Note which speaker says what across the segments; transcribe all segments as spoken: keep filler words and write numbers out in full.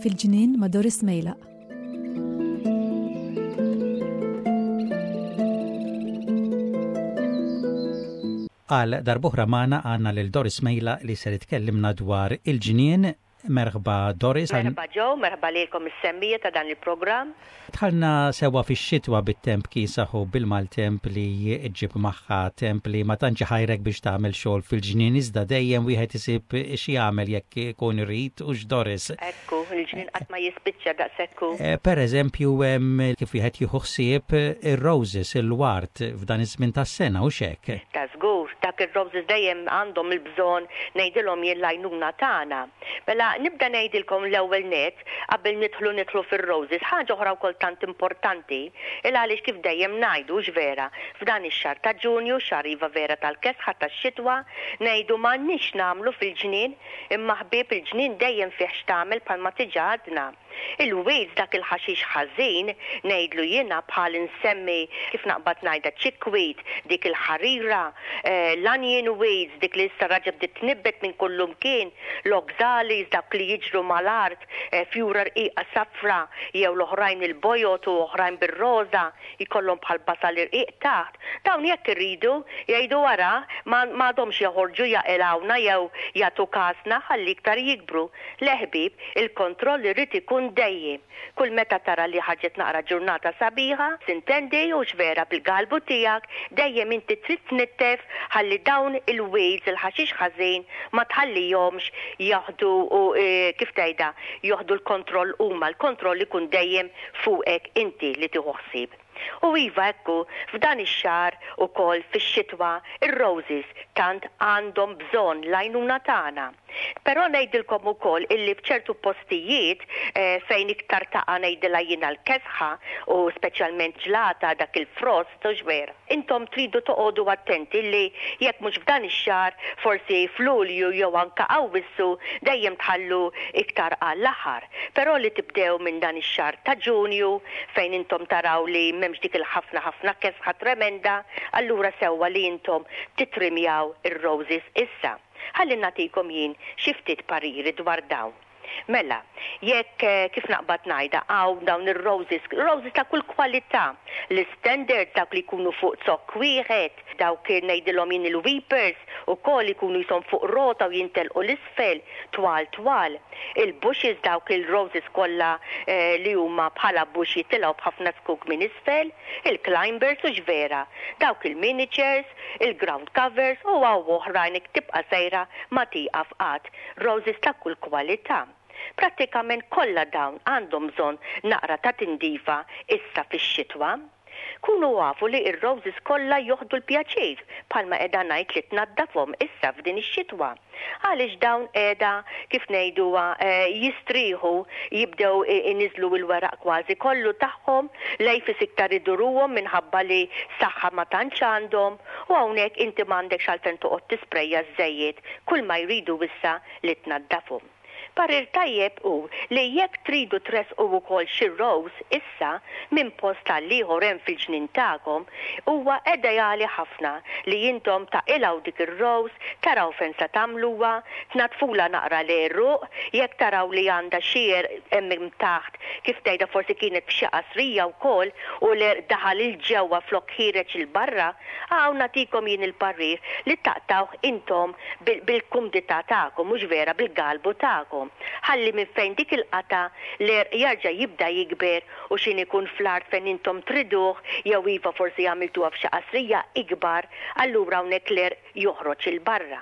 Speaker 1: Fil-ġnien ma' Doris Mejlaq.
Speaker 2: Għal darb'oħra magħna għandna lil Doris Mejlaq li ser tkellimna dwar il-ġnien. Merħba, Doris.
Speaker 3: Merħba, Joe, merħba lilkom is-semmiegħa ta' dan il-programm.
Speaker 2: Dħalna sewwa fix-xitwa bit-temp kiesaħ u bil-maltemp li ġġib magħha, temp li ma tantx ħajrek biex tagħmel xogħol fil-ġnien, iżda dejjem wieħed isib xi jagħmel jekk ikun irid, hux, Doris?
Speaker 3: Ekku, il-ġnien qatt ma jispiċċa daqshekk.
Speaker 2: Eh, per eżempju, kif wieħed jieħu ħsieb ir-roses, il-ward, f'dan iż-żmien tas-sena, hux hekk?
Speaker 3: Ta' żgur, dak ir-roses dejjem għandhom il-bżonn, ngħidilhom jien, l-għajnuna tagħna. Mela nibda ngħidilkom l-ewwel net qabel nidħlu nidħlu fir-roses ħaġa oħra wkoll tant importanti, il għaliex kif dejjem ngħidu vera, f'dan ix-xahar ta' Ġunju, xahar iva vera tal-kesħa tax-xitwa, ngħidu m'għandniex nagħmlu fil-ġnien, imma ħbieb, il-ġnien dejjem fih x'tagħmel bħalma diġà għadna. Il-weeds, dak il-ħaxix ħażin, ngħidlu jiena, bħal insemmi, kif naqbad ngħidha, chickweed, dik il-ħarira, eh, l-onion weeds, dik li issa raġa bdiet tnibbet minn kullumkien, l-oxalis, dak li jiġru mal-art, eh, fjura rqiqa safra, jew l-oħrajn il-bojod u oħrajn bir-roża, jkollhom bħal basal irqiq taħt. Dawn jekk irridu jgħidu wara ma għadhomx joħorġu jaqilgħuna jew jagħtu kasna, ħalli iktar jikbru. Le ħbieb, il-kontroll irid ikun dejjem. Kull meta tara li ħarġet naqra ġurnata sabiħa, sintendi, hux vera, bil-galbu tiegħek, dejjem inti trid tnittef ħalli dawn il-weeds, il-ħaxix ħażin, ma tħallihomx jaħdu u e, kif tgħidha, joħdu l-kontroll huma, l-kontroll ikun dejjem fuqek inti li tieħu ħsieb. U iva ekku, f'dan ix-xahar ukoll fix-xitwa, ir-roses tant għandhom bżonn l-għajnuna tagħna. Però ngħidilkom ukoll illi f'ċertu postijiet eh, fejn iktar taqa', ngħidilha jiena, l-kesħa u speċjalment ġlata, dak il-frost, hux vera? Intom tridu toqogħdu attenti li jekk mhux f'dan ix-xahar, forsi f'Lulju jew anka Awwissu, dejjem tħallu iktar għall-aħħar. Però li tibdew minn dan ix-xahar ta' Ġunju fejn intom taraw li m'hemmx dik il-ħafna ħafna kesħa tremenda, allura sewwa li intom titrimjaw ir-roses issa. Ħalli nagħtikom jien xi ftit pariri dwar dawn. Mela, jekk eh, kif naqbad ngħidha, hawn dawn ir-roses, roses ta' kull kwalità, l-standard, dawk li jkunu fuq zokk wieħed, dawk ngħidilhom jien il-weepers ukoll ikunu jisom fuq rota u jintelqu 'l isfel, twal twal. Il-bushes, dawk il-roses kollha eh, li huma bħala bush jitilgħu b'ħafna zkuk minn isfel, il-climbers, hux vera, dawk il-miniatures, il-ground covers u hawn oħrajn, tibqa' sejra ma tieqaf qatt, roses ta' kull kwalità. Prattikament kollha dawn għandhom bżonn naqra ta' tindifa issa fix-xitwa. Kunu għafu li ir-roses kollha joħdu l-pjaċir, bħalma qiegħda ngħid, li tnaddafhom issa f'din ix-xitwa. Għaliex dawn qiegħda, kif ngħiduha, eh, jistrieħu, jibdew iniżlu l-weraq kważi kollu tagħhom, lejfis iktar iduruhom minħabba li saħħa ma tantx għandhom, u hawnhekk inti m'għandekx għalfejn toqgħod tisprejja żejjed, kull ma jridu issa li tnaddafhom. Parir tajjeb hu li jekk tridu tressqu wkoll xi rose issa minn post għal ieħor hemm fil-ġnien tagħkom, huwa ideali ħafna li intom taqilgħu dik ir-rose, taraw fejn se tagħmluha, tnadfula naqra l-għeruq, jekk taraw li għandha xi hemm taħt, kif tgħidha, forsi kienet f'xi qasrija wkoll u l-għerq daħal 'il ġewwa flok ħiereġ 'il barra, hawn nagħtikom jien il-parir li taqtawh intom bil-kumdità tagħkom, mhux vera, bil-galbu tagħkom. Ħalli minn fejn dik il-qata l-għerq jarġa' jibda jikber u xin ikun fl-art fejn intom triduh, jew iva forsi għamiltuha f'xi qasrija ikbar, allura hawnhekk l-għerq joħroġ 'il barra.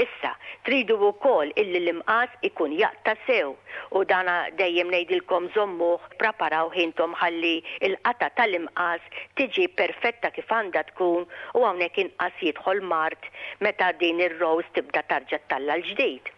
Speaker 3: Issa, tridu wkoll illi l-imqas ikun jaqta' sew u dana dejjem ngħidilkom żommuh, preparaw intom ħalli il-qata tal-imqas tiġi perfetta kif għandha tkun u hawnhekk inqas jidħol mard meta din ir-rose tibda tarġa' ttella' l-ġdid.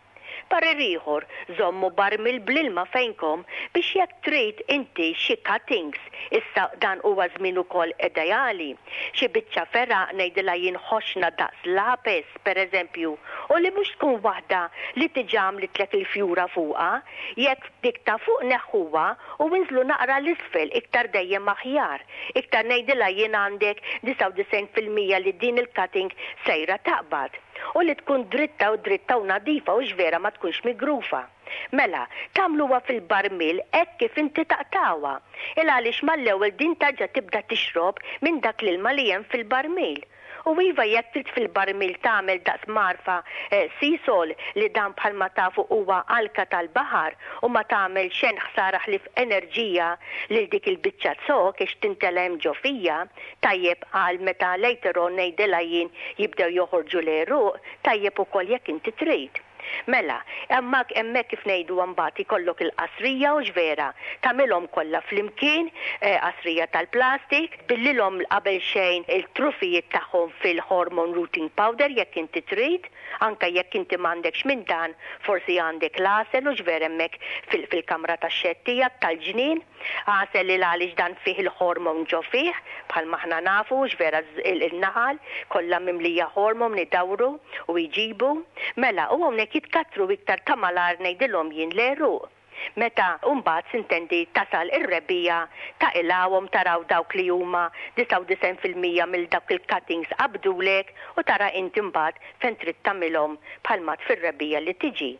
Speaker 3: Parir ieħor, żommu barmil bl-ilma fejnkom biex jekk trid inti xi cuttings, issa dan huwa żmien ukoll ideali. Xi biċċa fergħa, ngħidilha jien, ħoxna daqs lapes, pereżempju, U li mhux tkun waħda li diġà għamlitlek il-fjura fuqha, jekk dik ta' fuq neħħuha u inżlu naqra 'l isfel iktar dejjem aħjar. Iktar ngħidilha jien għandek disgħa u disgħin fil-mija li din il-cutting sejra taqbad. U li tkun dritta u dritta u nadifa u vera ma tkunx migrufa. Mela, tagħmluha fil-barmil hekk kif inti taqtgħuha. Il għaliex mal-ewwel din terġa' tibda tixrob minn dak l-ilma li hemm fil-barmil. U iva, jekk trid fil-barmil tagħmel daqs mgħarfa eh, Seasol, li dan bħalma tafu huwa alka tal-baħar u ma tagħmel xejn ħsara ħlief enerġija lil dik il-biċċa zokk ix timtela hemm ġo fiha, tajjeb għal meta later on, ngħidilha jien, jibdew joħorġu l-għeruq, tajjeb ukoll jekk inti trid. Mela, hemmhekk hemmhekk kif ngħidu mbagħad ikollok il-qasrija u vera, tagħmilhom kollha flimkien, eh, qasrija tal-plastik, tbillilhom qabel xejn il-trufijiet tagħhom fil-hormone rooting powder jekk inti trid, anka jekk inti m'għandekx minn dan, forsi għandek l-għasel u vera hemmhekk fil-kamra tax-shed tiegħek tal-ġnien, għasel li għaliex dan fih il-hormone ġo fih, bħal aħna nafu vera il-naħal kollha mimlija hormone idawru u jġibu. Mela, u hawnhekk jitkattru iktar ta' malajr, ngħidilhom jien, l-għeruq. Meta mbagħad s'intendi tasal ir-rebbiegħa taqilgħuhom, taraw dawk li huma disgħa u disgħin fil-mija mill dawk il-cuttings qabdulek u tara inti mbagħad fejn trid tagħmilhom bħalma fir-rebbiegħa li tiġi.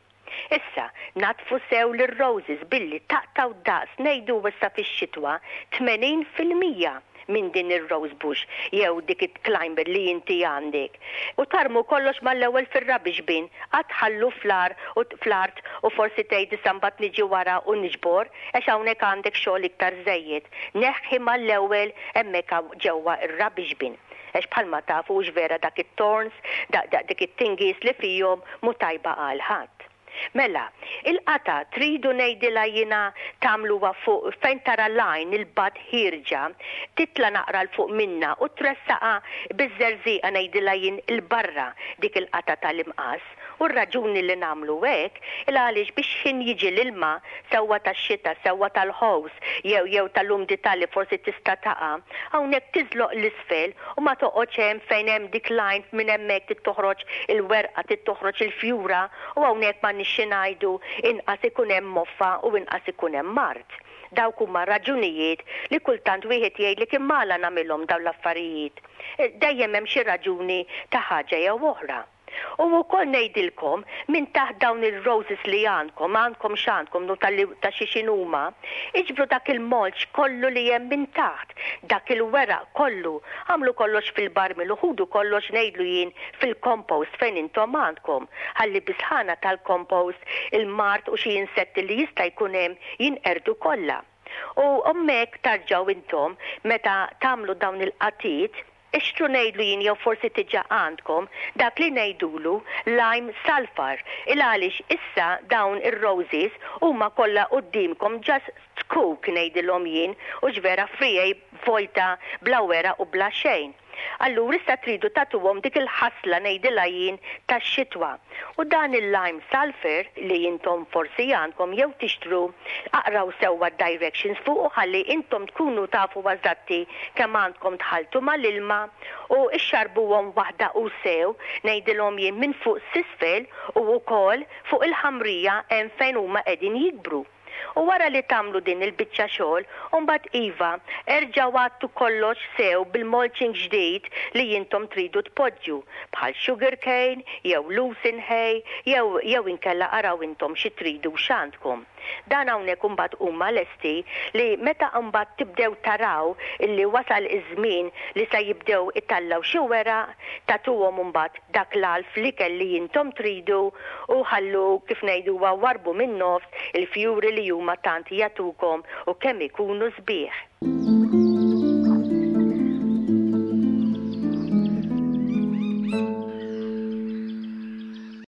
Speaker 3: Issa, naddfu sew l-roses billi taqtgħu daqs, ngħidu issa fix-xitwa, tmenin fil-mija minn din ir-rose bush jew dik it-climber li inti għandek. U tarmu kollox mal-ewwel fir-rubbish bin, qatt ħallu fl-art u fl-art u forsi tgħid issa mbagħad niġi wara u niġbor, għax hawnhekk għandek xogħol iktar żejjed. Neħħi mal-ewwel hemmhekk ġewwa ir-rubbish bin. Għax bħalma tafu vera dak it-thorns, dak it-tingis li fihom mhu tajba għal ħadd. Mela, il-qata tridu, ngħidilha jiena, tagħmluha fuq fejn tara l-għajn il-bud ħierġa, titla naqra 'l fuq minna u tressaqa biż-żerżiqa, ngħidilha jien, 'il barra dik il-qata tal-imqas. U r-raġuni li nagħmlu hekk il għaliex biex ħin jiġi l-ilma, sewwa tax-xita, sewwa tal-hose jew jew tal-umdità li forsi tista' taqa', hawnhekk tiżloq 'l isfel u ma toqgħodx hemm fejn hemm dik l-għajn, minn hemmhekk toħroġ il-werqa, toħroġ il-fjura u hawnhekk ma nixxi ngħidu inqas ikun hemm moffa u inqas ikun hemm mard. Dawk huma raġunijiet li kultant wieħed jgħidlek imma għala nagħmilhom dawn l-affarijiet. Dejjem hemm xi raġuni ta' ħaġa jew oħra. U wkoll ngħidilkom minn taħt dawn il-roses li għandkom, għandkom x'għandkom, nu ta' xi x'inhuma, iġbru dak il-mulch kollu li hemm minn taħt, dak il-weraq kollu, għamlu kollox fil-barmil u ħudu kollox, ngħidlu jien, fil-compost fejn intom għandkom. Ħalli bis-sħana tal-compost il-mard u xi insetti li jista' jkun hemm jinqerdu kollha. U hemmhekk terġgħu intom meta tagħmlu dawn il-qatiet, ixtru, ngħidlu jien, jew forsi diġà għandkom dak li ngħidulu lime sulfur. Il għaliex issa dawn ir-roses huma kollha quddiemkom just zkuk, ngħidilhom jien, u vera friegħi vojta bla weraq u bla xejn. Allura issa tridu tagħtuhom dik il-ħasla, ngħidilha jien, tax-xitwa. U dan il-lime sulfur li intom forsi għandkom jew tixtru, aqraw sewwa directions fuq u ħalli intom tkunu tafu eżatti kemm għandkom tħaltu mal-ilma u ixxarbuhom waħda u sew, ngħidilhom jien, minn fuq s'isfel u wkoll fuq il-ħamrija hemm fejn huma qegħdin jikbru. U wara li tagħmlu din il-biċċa xogħol, mbagħad iva, erġgħu għattu kollox sew bil-mulching ġdid li intom tridu tpoġġu, bħal sugar cane, jew lucerne hay, jew jew inkella araw intom xi tridu x'għandkom. Dan hawnhekk imbagħad huma lesti li meta mbagħad tibdew taraw illi wasal iż-żmien li se jibdew itellgħu xi weraq, tagħtuhom imbagħad dak l-għalf li kelli intom tridu u ħallu, kif ngħidu, warbu minn nofs il-fjuri li huma tant jagħtukom u kemm ikunu sbieħ.